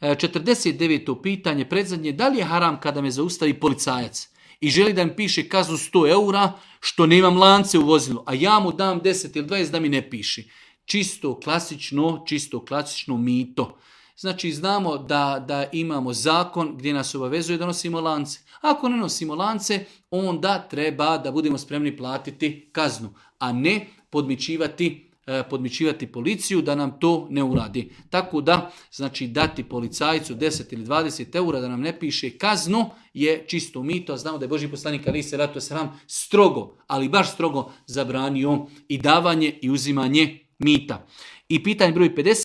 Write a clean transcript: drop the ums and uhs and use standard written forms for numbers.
49. pitanje, predzadnje, da li je haram kada me zaustavi policajac i želi da mi piše kaznu 100 eura što nemam lance u vozilu, a ja mu dam 10 ili 20 da mi ne piši. Čisto klasično mito. Znači znamo da imamo zakon gdje nas obavezuje da nosimo lance. Ako ne nosimo lance, onda treba da budemo spremni platiti kaznu, a ne podmićivati policiju da nam to ne uradi. Tako da, znači dati policajcu 10 ili 20 eura da nam ne piše kaznu je čisto mito, a znamo da je Božji poslanik alejhi selatu vesselam strogo, ali baš strogo zabranio i davanje i uzimanje mita. I pitanje broj 50.